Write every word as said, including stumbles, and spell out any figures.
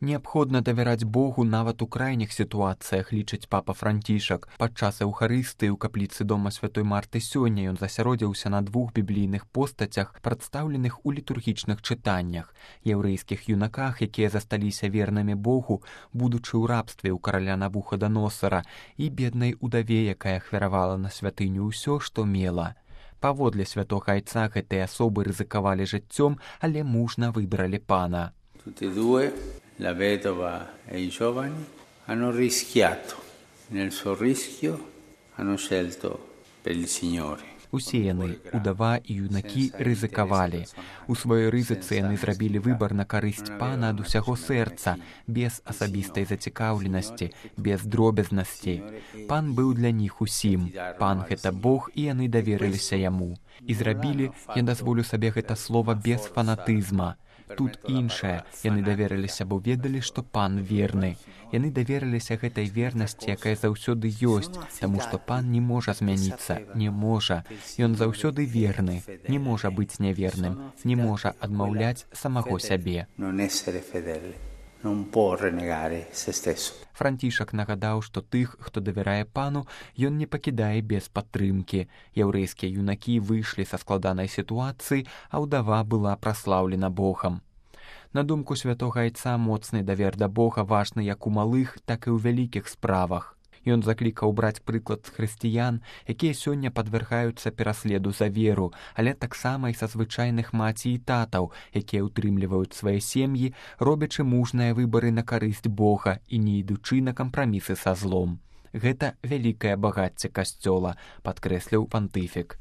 Неабходна давяраць Богу нават у крайніх сітуацыях, лічыць папа Францішак. Падчас эўхарыстыі ў капліцы дома святой Марты сёння ён засяродзіўся на двух біблійных постацях, прадстаўленых у літургічных чытаннях: яўрэйскіх юнаках, якія засталіся вернымі Богу, будучы ў рабстве ў караля Навуходаносара, і беднай удаве, якая ахвяравала на святыню ўсё, што мела. Паводле святога айца гэтыя асобы рызыкавалі жыццём, але мужна выбралі пана. La vedova e i giovani hanno rischiato, nel suo rischio hanno scelto per il Signore. Усе яны, удава і юнакі, рызыкавалі. У сваёй рызыцы яны зрабілі выбар на карысць пана ад усяго сэрца, без асабістай зацікаўленасці, без дробязнасці. Пан быў для них усім. Пан — гэта Бог, і яны даверыліся яму. І зрабілі, я дазволю сабе гэта слова, без фанатызма. Тут іншае. Яны даверыліся, бо ведалі, што пан верны. Яны даверыліся гэтай вернасці, якая заўсёды ёсць, таму што пан не можа змяніцца, не можа. Ён заўсёды верны, не можа быць няверным, не можа адмаўляць самого сябе. Францішак нагадаў, што тых, хто давярае пану, ён не пакідае без падтрымкі. Яўрэйскія юнакі выйшлі са складанай сітуацыі, а ўдава была праслаўлена Богам. На думку святога айца, моцны давер да Бога важны як у малых, так і ў вялікіх справах. Ён заклікаў браць прыклад з хрысціян, якія сёння падвяргаюцца пераследу за веру, але таксама і са звычайных маці і татаў, якія ўтрымліваюць свае сем'і, робячы мужныя выбары на карысць Бога і не ідучы на кампрамісы са злом. Гэта вялікае багацце касцёла, падкрэсліў пантыфік.